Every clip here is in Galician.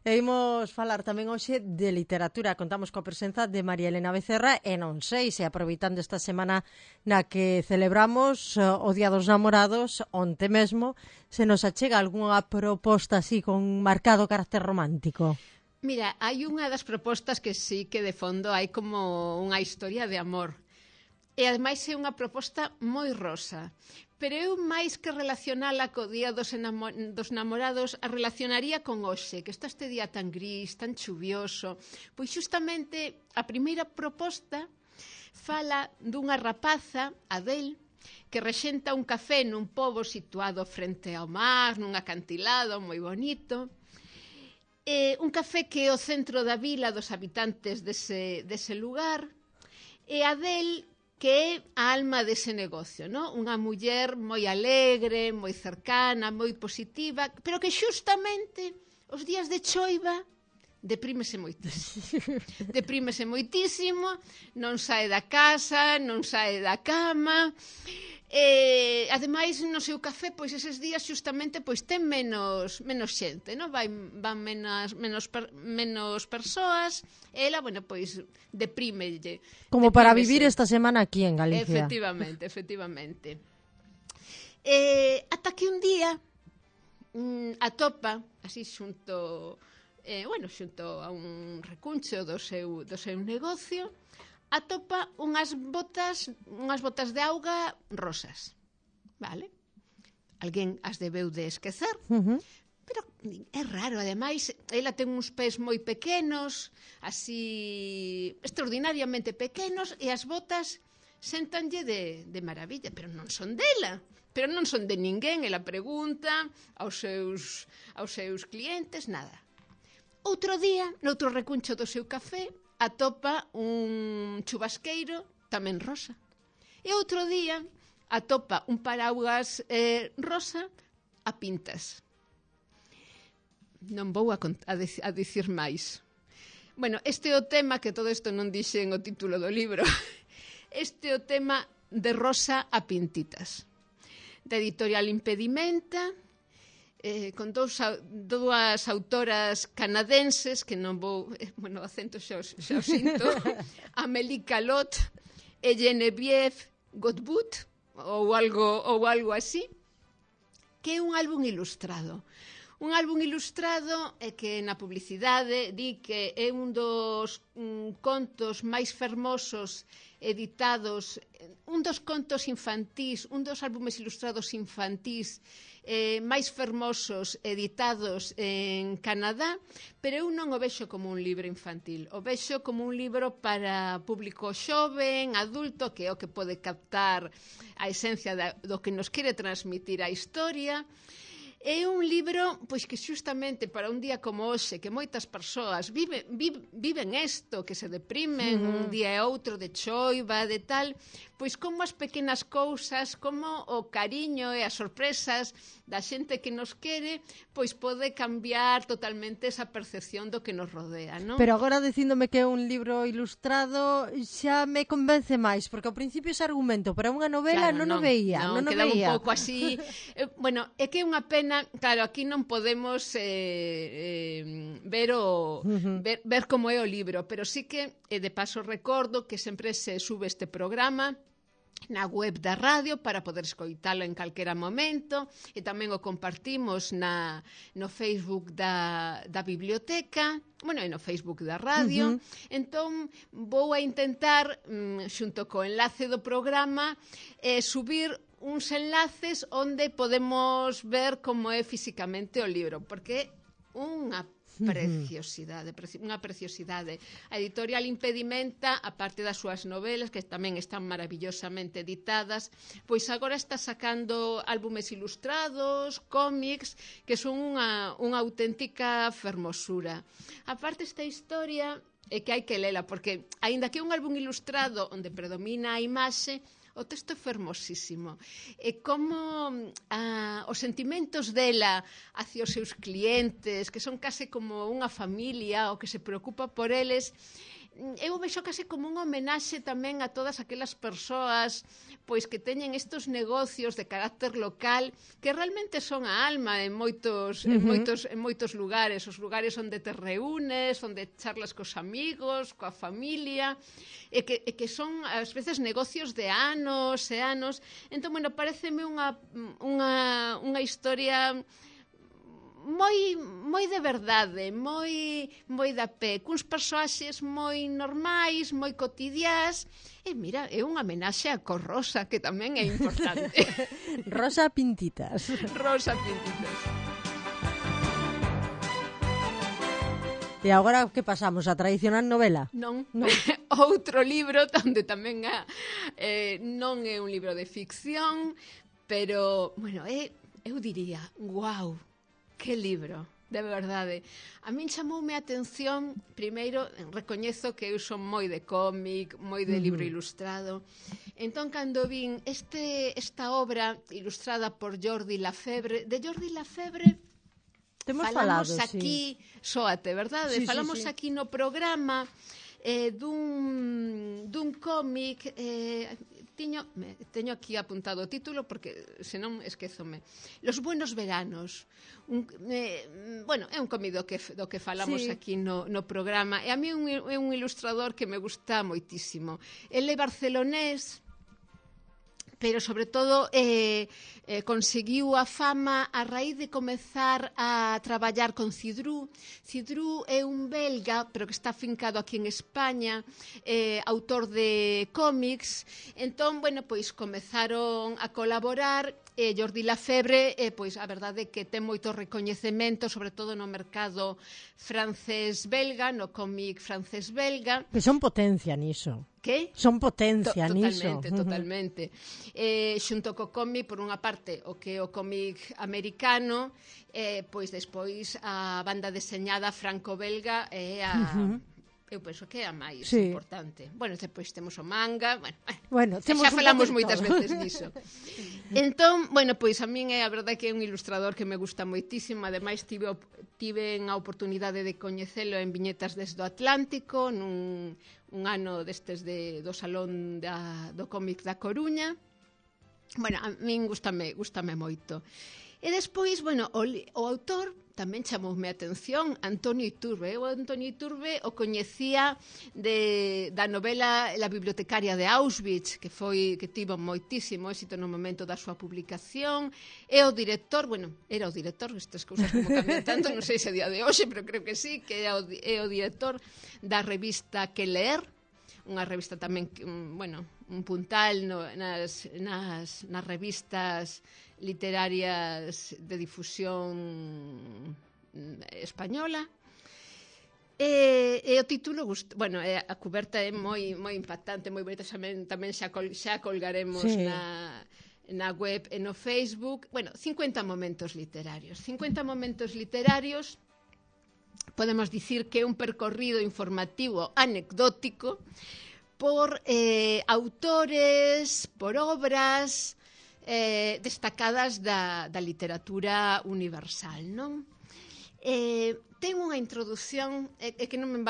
E imos falar tamén hoxe de literatura. Contamos coa presenza de María Elena Becerra e non sei se aproveitando esta semana na que celebramos o Día dos Namorados, onte mesmo, se nos achega algunha proposta así con marcado carácter romántico. Mira, hai unha das propostas que sí que de fondo hai como unha historia de amor. E ademais é unha proposta moi rosa. Pero eu máis que relacionala co Día dos Namorados a relacionaría con hoxe, que está este día tan gris, tan chuvioso. Pois justamente a primeira proposta fala dunha rapaza, Adele, que rexenta un café nun pobo situado frente ao mar, nun acantilado moi bonito. Un café que é o centro da vila dos habitantes dese lugar. E Adele, que é a alma dese negocio, non? Unha muller moi alegre, moi cercana, moi positiva, pero que xustamente os días de choiva deprímese moitísimo, non sae da casa, non sae da cama. Ademais, no seu café, pois eses días xustamente pois ten menos xente, non? Van menos persoas, e ela, bueno, pois deprímelle. Como para vivir esta semana aquí en Galicia. Efectivamente. Ata que un día atopa, así xunto a un recuncho do seu negocio, atopa unhas botas de auga rosas, vale? Alguén as debeu de esquecer, pero é raro, ademais, ela ten uns pés moi pequenos, así extraordinariamente pequenos, e as botas séntanlle de maravilla, pero non son dela, pero non son de ninguén. Ela pregunta aos seus clientes, nada. Outro día, noutro recuncho do seu café, atopa un chubasqueiro tamén rosa. E outro día atopa un paraugas rosa a pintas. Non vou a dicir máis. Bueno, este é o tema, que todo isto non dixen o título do libro, este é o tema de Rosa a pintitas, da editorial Impedimenta, con dúas autoras canadenses, que non vou, o acento xa o sinto, Amélie Calot e Geneviève Godbout, ou algo así, que é un álbum ilustrado. Un álbum ilustrado que na publicidade di que é un dos contos máis fermosos editados, un dos contos infantís, un dos álbumes ilustrados infantís máis fermosos editados en Canadá, pero eu non o vexo como un libro infantil, o vexo como un libro para público xoven, adulto, que é o que pode captar a esencia do que nos quere transmitir a historia. É un libro pois que xustamente para un día como hoxe, que moitas persoas viven isto, que se deprimen un día e outro de choiva, de tal, pois como as pequenas cousas, como o cariño e as sorpresas da xente que nos quere, pois pode cambiar totalmente esa percepción do que nos rodea, non? Pero agora dicíndome que é un libro ilustrado xa me convence máis, porque ao principio ese argumento para unha novela non o veía. Quedaba un pouco así. Bueno, é que é unha pena. Claro, aquí non podemos ver como é o libro, pero sí que, de paso, recordo que sempre se sube este programa na web da radio para poder escoitalo en calquera momento, e tamén o compartimos no Facebook da biblioteca, e no Facebook da radio. Entón vou a intentar, xunto co enlace do programa, subir uns enlaces onde podemos ver como é físicamente o libro, porque unha preciosidade. A editorial Impedimenta, a parte das súas novelas, que tamén están maravillosamente editadas, pois agora está sacando álbumes ilustrados, cómics, que son unha auténtica fermosura. A parte esta historia é que hai que lela, porque aínda que é un álbum ilustrado onde predomina a imaxe, o texto é fermosísimo. E como os sentimentos dela hacia os seus clientes, que son case como unha familia, o que se preocupa por eles, eu vexo case como unha homenaxe tamén a todas aquelas persoas pois que teñen estos negocios de carácter local que realmente son a alma en moitos lugares, os lugares onde te reúnes, onde charlas cos amigos, coa familia, e que son ás veces negocios de anos e anos. Entón, bueno, pareceme unha historia moi de verdade, moi da pé, cuns persoaxes moi normais, moi cotidiás, e mira, é unha homenaxe a Cor Rosa, que tamén é importante. Rosa Pintitas. Rosa Pintitas. E agora que pasamos? A tradicional novela? Non. Outro libro onde tamén non é un libro de ficción, pero, bueno, eu diría, guau, que libro, de verdade. A min chamoume a atención, primeiro, recoñezo que eu son moi de cómic, moi de libro ilustrado. Entón, cando vin esta obra ilustrada por Jordi Lafebre, de Jordi Lafebre falamos aquí, sóate, verdade? Falamos aquí no programa dun cómic, teño aquí apuntado o título porque senón esquézome. Los buenos veranos. Bueno, é un cómic do que falamos aquí no programa, e a mí é un ilustrador que me gusta moitísimo. Ele é barcelonés, pero sobre todo conseguiu a fama a raíz de comezar a traballar con Cidrú. Cidrú é un belga, pero que está afincado aquí en España, autor de cómics. Entón, bueno, pois comezaron a colaborar. Jordi Lafebre, pois a verdade é que ten moito recoñecemento, sobre todo no mercado francés-belga, no cómic francés-belga. Que son potencia niso. Que? Son potencia niso. Totalmente. Xunto co cómic, por unha parte, o que é o cómic americano, pois despois a banda deseñada franco-belga é a... Eu penso que é a máis importante. Bueno, depois temos o manga, bueno, xa falamos moitas veces diso. Entón, bueno, pois a min é a verdade que é un ilustrador que me gusta moitísimo, ademais tive a oportunidade de coñecelo en Viñetas desde o Atlántico, un ano destes do Salón do Cómic da Coruña. Bueno, a min gustame moito. E despois, bueno, o autor tamén chamoume a atención, Antonio Iturbe. Eu Antonio Iturbe o coñecía da novela La bibliotecaria de Auschwitz, que tivo moitísimo éxito no momento da súa publicación. É o director, bueno, era o director, estas cousas como cambian tanto, non sei se a día de hoxe, pero creo que sí, que é o director da revista Que Leer, unha revista tamén, bueno, un puntal nas revistas literarias de difusión española. E o título, bueno, a cuberta é moi impactante, moi bonita, tamén xa colgaremos na web e no Facebook. Bueno, 50 momentos literarios. 50 momentos literarios, podemos dicir que é un percorrido informativo anecdótico por autores, por obras destacadas da literatura universal, non? Ten unha introducción que non me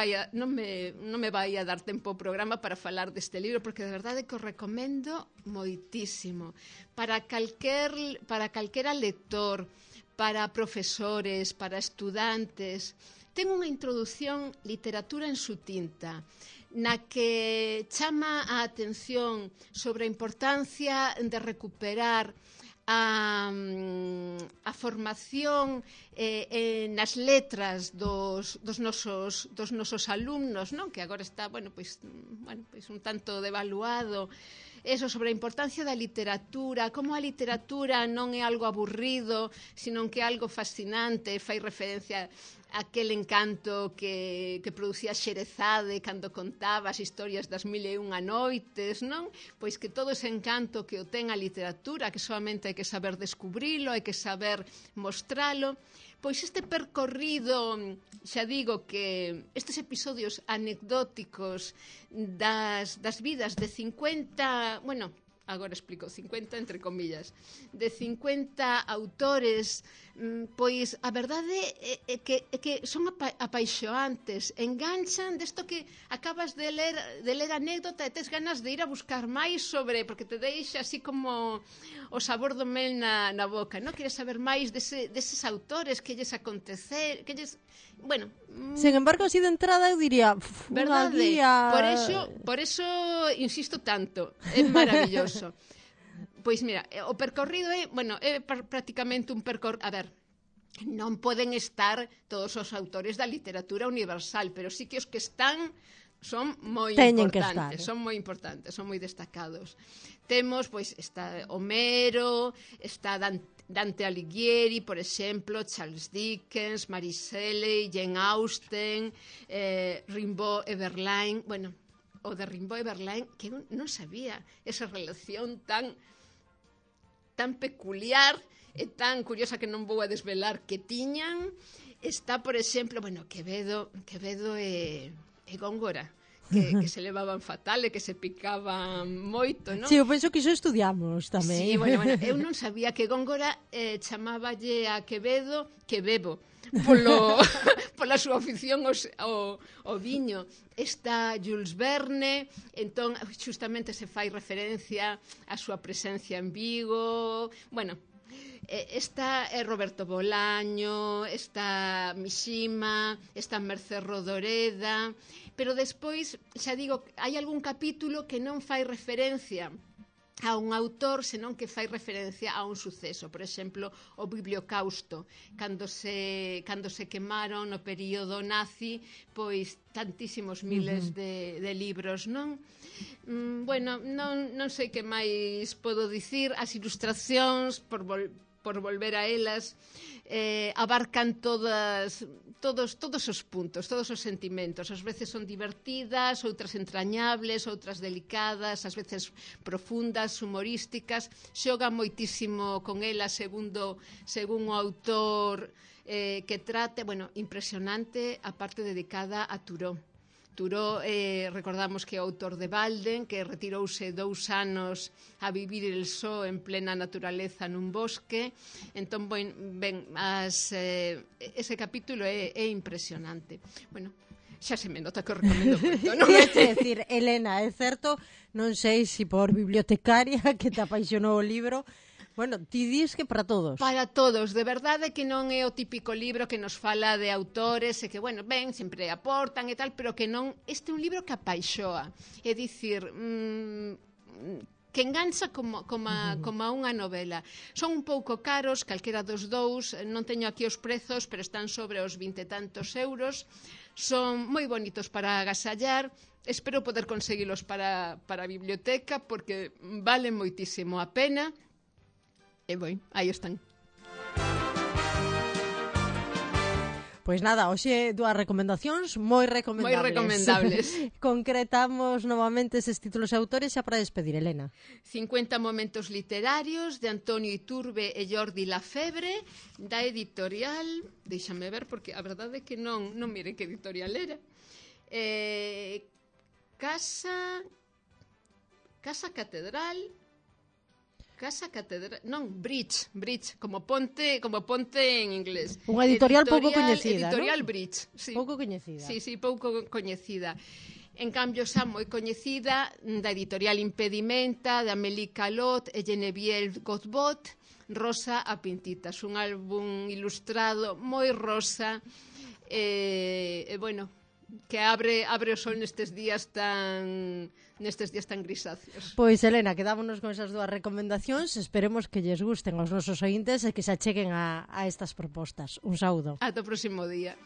vai a dar tempo o programa para falar deste libro, porque de verdade que o recomendo moitísimo para calquera lector, para profesores, para estudantes. Ten unha introducción literatura en su tinta, na que chama a atención sobre a importancia de recuperar a formación nas letras dos nosos alumnos, non? Que agora está, pois un tanto devaluado. Eso sobre a importancia da literatura, como a literatura non é algo aburrido, sino que é algo fascinante, fai referencia aquel encanto que producía Xerezade cando contaba as historias das 1001 noites, non? Pois que todo ese encanto que o ten a literatura, que solamente hai que saber descubrilo, hai que saber mostralo. Pois este percorrido, xa digo que estes episodios anecdóticos das vidas de 50, bueno, agora explico, 50 entre comillas, de 50 autores, pois a verdade é que son apaixoantes, enganchan desto que acabas de ler anécdota e tes ganas de ir a buscar máis sobre, porque te deixa así como o sabor do mel na boca, non? Queres saber máis deses autores, que lles acontecer, que lles... Bueno... Sin embargo, así de entrada eu diría, unha guía... Por eso insisto tanto, é maravilloso. Pois mira, o percorrido é prácticamente un percorrido... A ver, non poden estar todos os autores da literatura universal, pero sí que os que están son moi importantes, son moi importantes, son moi destacados. Temos, pois, está Homero, está Dante Alighieri, por exemplo, Charles Dickens, Mary Shelley, Jane Austen, Rimbaud e Verlaine. Bueno, o de Rimbaud e Verlaine, que eu non sabía esa relación tan peculiar e tan curiosa que non vou a desvelar que tiñan. Está, por exemplo, Quevedo e Góngora, que se levaban fatal e que se picaban moito, non? Si, eu penso que iso estudiamos tamén. Sí, eu non sabía que Góngora chamáballe a Quevedo que bebo, pola súa afición ao viño. Está Jules Verne, entón justamente se fai referencia á súa presencia en Vigo. Bueno, está Roberto Bolaño, está Mishima, está Mercé Rodoreda, pero despois, xa digo, hai algún capítulo que non fai referencia a un autor, senón que fai referencia a un suceso. Por exemplo, o Bibliocausto, cando se quemaron no período nazi, pois tantísimos miles de libros, non? Bueno, non sei que máis podo dicir. As ilustracións, por volver a elas, abarcan todos os puntos, todos os sentimentos. Ás veces son divertidas, outras entrañables, outras delicadas, ás veces profundas, humorísticas. Xoga moitísimo con elas según o autor que trate. Bueno, impresionante a parte dedicada a Thoreau. Thoreau, recordamos que é o autor de Walden, que retirouse 2 anos a vivir el só en plena naturaleza nun bosque. Entón, ese capítulo é impresionante. Bueno, xa se me nota que o recomendo moito, non? É dicir, Elena, é certo, non sei se por bibliotecaria que te apaixonou o libro. Bueno, ti dis que para todos. Para todos, de verdade que non é o típico libro que nos fala de autores e que, sempre aportan e tal, pero que non... Este é un libro que apaixoa. É dicir, que engancha como unha novela. Son un pouco caros, calquera dos dous, non teño aquí os prezos, pero están sobre os 20 e tantos euros. Son moi bonitos para agasallar. Espero poder conseguilos para a biblioteca, porque valen moitísimo a pena. E aí están. Pois nada, hoxe 2 recomendacións moi recomendables. Concretamos novamente eses títulos e autores xa para despedir, Elena. 50 momentos literarios de Antonio Iturbe e Jordi Lafebre, da editorial, déixame ver porque a verdade é que non mire que editorial era. Casa Catedral, Bridge, como ponte en inglés. Unha editorial pouco coñecida, Editorial, ¿no? Bridge, sí. Pouco coñecida. Sí, pouco coñecida. En cambio, xa moi coñecida da editorial Impedimenta, de Amélie Calot e Geneviève Godbot, Rosa a Pintitas, un álbum ilustrado moi rosa, que abre o sol nestes días tan grisáceos. Pois, Elena, quedámonos con esas 2 recomendacións. Esperemos que lles gusten aos nosos ointes e que se acheguen a estas propostas. Un saúdo. Ata o próximo día.